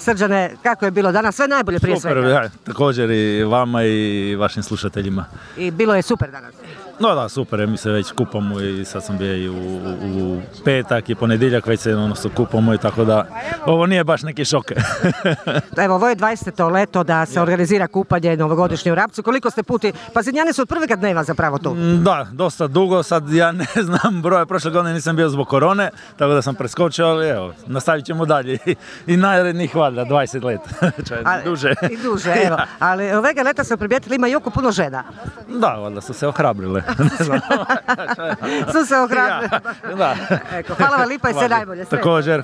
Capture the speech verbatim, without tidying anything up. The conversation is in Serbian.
Srđane, kako je bilo danas? Sve najbolje prije Super, svega. ja, također i vama i vašim slušateljima. I bilo je super danas. No da, super, mi se već kupamo i sad sam bio i u, u petak i ponedjeljak, već se ono se kupamo i tako da ovo nije baš neki šok. Evo, ovo je dvadeseto leto da se organizira kupanje novogodišnje u Rapcu. Koliko ste puti? Pazinjani su od prvega dneva zapravo tu. Da, dosta dugo, sad ja ne znam broja, prošle godine nisam bio zbog korone, tako da sam preskočio, ali evo, nastavit ćemo dalje i, i narednih valjda dvadeset let, Ali, duže. I duže, evo. Ali ovega leta smo primijetili, ima jako puno žena. Da, valjda su se ohrabrile. Ne znam. Su se ohrabrile. Ja, da. Eko, hvala vam lipa i sve najbolje. Sretno. Također.